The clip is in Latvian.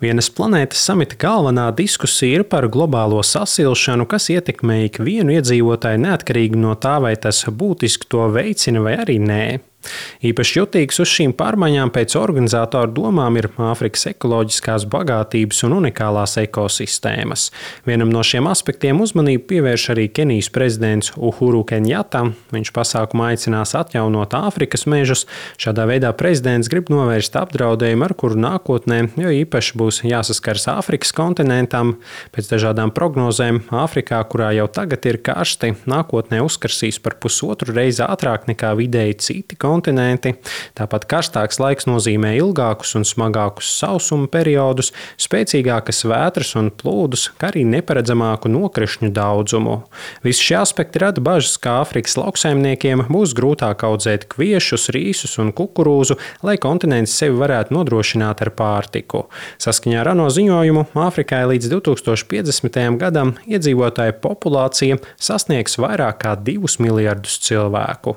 Vienas planētas samita galvenā diskusija ir par globālo sasilšanu, kas ietekmē ikvienu iedzīvotāju neatkarīgi no tā, vai tas būtiski to veicina vai arī nē. Īpaši jutīgs uz šīm pārmaiņām pēc organizatoru domām ir Āfrikas ekoloģiskās bagātības un unikālās ekosistēmas. Vienam no šiem aspektiem uzmanību pievērš arī Kenijas prezidents Uhuru Kenjata. Viņš pasākumā aicinās atjaunot Āfrikas mežus. Šādā veidā prezidents grib novērst apdraudējumu, ar kuru nākotnē jo īpaši būs jāsaskars Āfrikas kontinentam. Pēc dažādām prognozēm Āfrikā, kurā jau tagad ir karsti, nākotnē uzkarsīs par 1,5 reizi ātrāk nekā vidēji citi kontinenti. Tāpat karstāks laiks nozīmē ilgākus un smagākus sausuma periodus, spēcīgākas vētras un plūdus, kā arī neparedzamāku nokrišņu daudzumu. Visi šie aspekti rada bažas, ka Āfrikas lauksaimniekiem būs grūtāk audzēt kviešus, rīsus un kukurūzu, lai kontinents sevi varētu nodrošināt ar pārtiku. Saskaņā ar ANO ziņojumu Āfrikai līdz 2050. gadam iedzīvotāju populācija sasniegs vairāk kā 2 miljardus cilvēku.